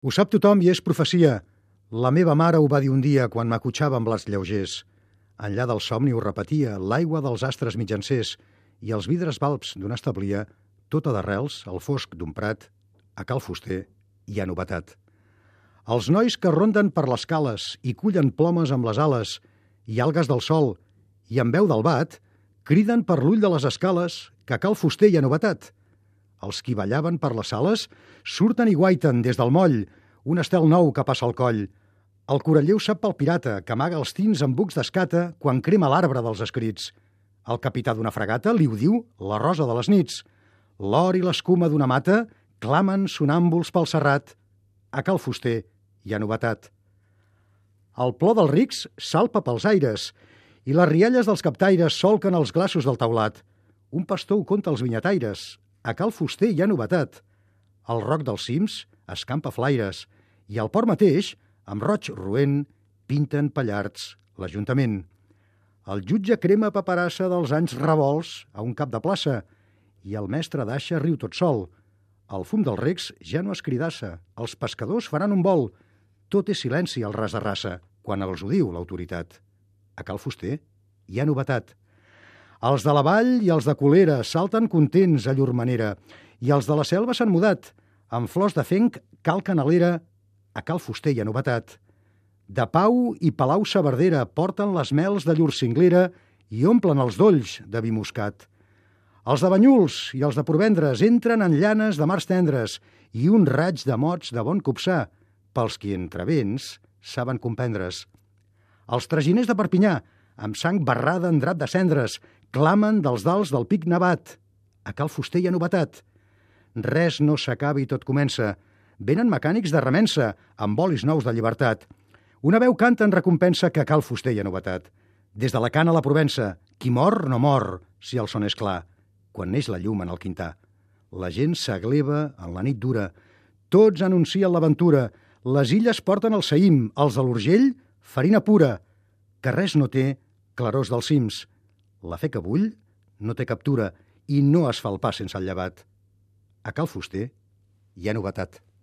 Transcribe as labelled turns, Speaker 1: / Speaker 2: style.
Speaker 1: Ho sap tothom i és profecia. La meva mare ho va dir un dia quan m'acotxava amb blats lleugers. Enllà del somni ho repetia, l'aigua dels astres mitjancers i els vidres balbs d'on establia, tota d'arrels, al fosc d'un prat, a Cal Fuster hi ha novetat. Els nois que ronden per les cales i cullen plomes amb les ales i algues del sol i amb veu del bat, criden per l'ull de les escales que a Cal Fuster hi ha novetat. Els qui ballaven per les sales surten i guaiten des del moll un estel nou que passa al coll. El coralleu sap pel pirata que amaga els tins amb bucs d'escata quan crema l'arbre dels escrits. El capità d'una fregata li ho diu la rosa de les nits. L'or i l'escuma d'una mata clamen sonàmbuls pel serrat. A Cal Fuster hi ha novetat. El plor dels rics salpa pels aires i les rialles dels captaires solquen els glaços del taulat. Un pastor ho conta als vinyataires. A Cal Fuster hi ha novetat. El roc dels cims escampa flaires i al port mateix, amb roig roent, pinten pallards l'Ajuntament. El jutge crema paperassa dels anys revolts a un cap de plaça i el mestre d'aixa riu tot sol. El fum dels recs ja no es cridassa. Els pescadors faran un vol. Tot és silenci al ras de raça quan els ho diu l'autoritat. A Cal Fuster hi ha novetat. Els de la vall i els de Colera salten contents a llur manera i els de la selva s'han mudat. Amb flors de fenc cal canalera, a Cal Fuster hi ha novetat. De Pau i Palau-saverdera porten les mels de llur cinglera i omplen els dolls de vi moscat. Els de Banyuls i els de Porvendres entren en llanes de mars tendres i un raig de mots de bon copsar, pels qui entre vents saben comprendre's. Els traginers de Perpinyà, amb sang barrada en drap de cendres, clamen dels dals del pic nevat. A Cal Fuster hi ha novetat. Res no s'acaba i tot comença. Venen mecànics de remença, amb bolis nous de llibertat. Una veu canta en recompensa que a Cal Fuster hi ha novetat. Des de la Cana a la Provença, qui mor no mor, si el son és clar, quan neix la llum en el quintar. La gent s'agleva en la nit dura. Tots anuncien l'aventura. Les illes porten el saïm, els de l'Urgell, farina pura, que res no té clarors dels cims. La fe que bull no té captura i no es fa el pas sense el llevat. A Cal Fuster hi ha novetat.